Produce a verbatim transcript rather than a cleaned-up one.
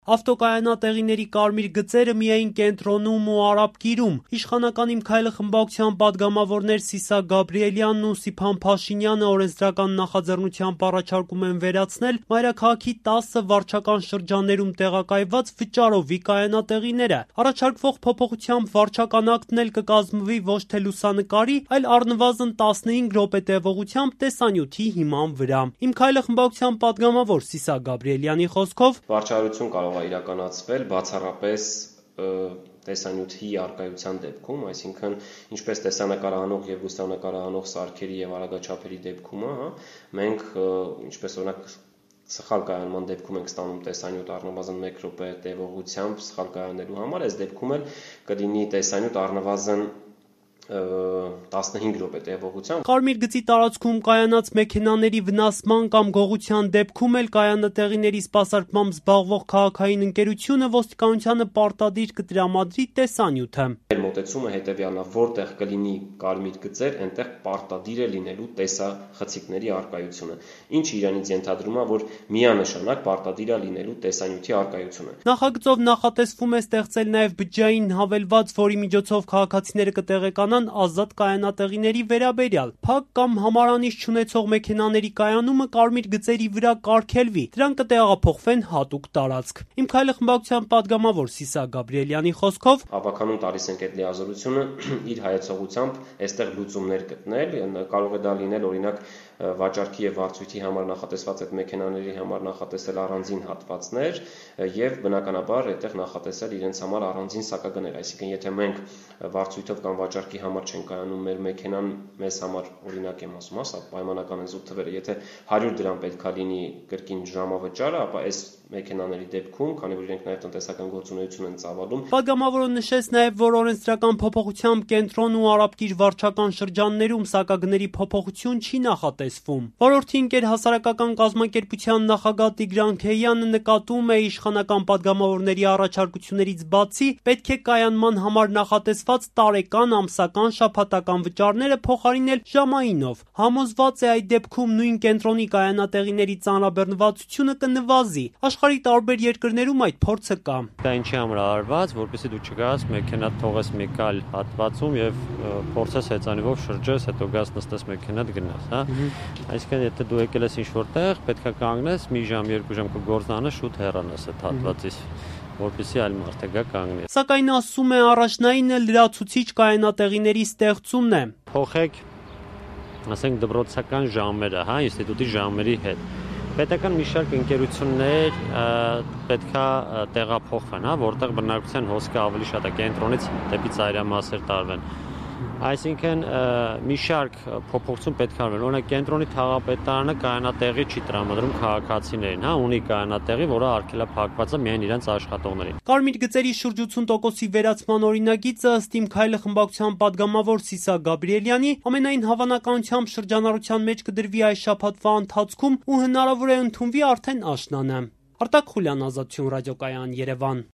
Ավտոկայանատեղիների կարմիր գծերը միայն կենտրոնում ու Արաբկիրում։ Իշխանական «Իմ քայլը» խմբակցության պատգամավորներ Սիսակ Գաբրիելյանն ու Սիփան Փաշինյանը օրենսդրական նախաձեռնությամբ առաջարկում են վերացնել մայրաքաղաքի տասը վարչական շրջաններում տեղակայված վճարովի կայանատեղիները։ Առաջարկվող փոփոխությամբ վարչական ակտն էլ կկազմվի ոչ թե լուսանկարի, այլ առնվազն տասնհինգ րոպե տևողությամբ տեսանյութի հիման վրա։ «Իմ քայլը» խմբակցության պատգամավոր Սիսակ Գաբրիելյանի խոսքով վարչարություն կարող է իրականացվել բացառապես տեսանյութի առկայության դեպքում, այսինքն ինչպես տեսանկարահանող եւ լուսանկարահանող սարքերի եւ արագաչափերի դեպքում, հա, մենք ինչպես օրինակ սխալ կայանման դեպքում ենք ստանում տեսանյութ առնվազն մեկ րոպե տևողությամբ սխալ կայանելու համար, այս դեպքում էլ կլինի տեսանյութ առնվազն տասնհինգ րոպե տևողությամբ։ Կարմիր գծի տարածքում կայանած մեքենաների վնասման կամ գողության դեպքում էլ կայանատեղիների սպասարկմամբ զբաղվող քաղաքային ընկերությունը ոստիկանությանը պարտադիր կտրամադրի տեսանյութը։ Մեր մոտեցումը հետևյալն է, որտեղ կլինի կարմիր գծեր, այնտեղ պարտադիր է լինելու տեսախցիկների առկայությունը, ինչը իրենից ենթադրում է, որ միանշանակ պարտադիր է լինելու տեսանյութի առկայությունը։ Նախագծով նախատեսվում է ստեղծել նաև բջջային հավելված, որի միջոցով քաղաքացիները կտեղեկանան ազատ կայանատեղիների վերաբերյալ։ Փակ կամ համարանիշ չունեցող մեքենաների կայանումը կարմիր գծերի վրա կարգելվի, դրանք կտեղափոխվեն հատուկ տարածք։ «Իմ քայլը» խմբակցության պատգամավոր Սիսակ Գաբրիելյանի խոսքով հավաքանում տալիս ենք այդ լիազորությունը իր հայեցողությամբ այստեղ լուծումներ գտնել, կարող է դա լինել օրինակ վաճառքի եւ վարձույթի համար նախատեսված այդ մեքենաների համար նախատեսել առանձին հատվածներ եւ բնականաբար այդտեղ նախատեսել իրենց համար առանձին սակագներ, այսինքն եթե մենք վարձույթով կամ վաճառքի համար չենք կայանում մեր մեքենան մեզ համար օրինակ եմ ասում, հա, պայմանական են զուտ թվերը, եթե հարյուր դրամ պետքա լինի կրկին ժամավճարը, ապա այս մեքենաների դեպքում, քանի որ իրենք նաև տնտեսական գործունեություն են ծավալում։ Պատգամավորը նշեց նաև, որ օրենսդրական փոփոխությամբ կենտրոն ու Արաբկիր վարչական շրջաններում սակագների փոփոխություն չի նախատեսվում։ Ոլորտի ընկեր հասարակական կազմակերպության նախագահ Տիգրան Քեյանը նկատում է իշխանական պատգամավորների առաջարկություններից բացի պետք է կայանման համար նախատեսված տարեկան, ամսական, շաբաթական վճարները փոխարինել ժամայինով։ Համոզված է այդ դեպքում նույն կենտրոնի կայանատեղիների ծանրաբեռնվածությունը կնվազի։ Աշխարհի տարբեր երկրներում այդ փորձը կա։ Դա ինչի համար արված, որպեսզի դու չգաս մեքենա թողես մի կալ հատվածում եւ փորձես հեծանիվով շրջես, հետո գաս նստես մեքենատ գնաս, հա։ Այսինքն եթե դու եկել ես ինչ-որ տեղ, պետքա կանգնես, մի ժամ, երկու ժամ կգործանաս, շուտ հեռանաս այդ հատվածից, որպեսզի այլ մարդ գա կանգնի։ Սակայն ասում է առաջնայինը լրացուցիչ կայանատեղիների ստեղծումն է։ Փոխեք, ասենք դպրոցական ժամերը, հա, ինստիտուտի ժամերի հետ։ Պետական մի շարք ընկերություններ պետքա տեղափոխվեն, հա, որտեղ բնակության հոսքը ավելի շատ է, կենտրոնից դեպի ծայրամասեր տարվեն։ Այսինքն մի շարք փոփոխություն պետք է արվեն։ Օրինակ կենտրոնի թաղապետարանը կայանատեղի չի տրամադրում քաղաքացիներին, հա, ունի կայանատեղի, որը արգելափակված է միայն իրենց աշխատողներին։ Կարմիր գծերի շուրջ ութուն տոկոսի վերացման օրինագիծը ըստ «Իմ քայլը» խմբակցության պատգամավոր Սիսակ Գաբրիելյանի ամենայն հավանականությամբ շրջանառության մեջ կդրվի այս շաբաթվա ընթացքում ու հնարավոր է ընդունվի արդեն աշնանը։ Արտակ Խուլյան, Ազատություն ռադիոկայան, Երևան։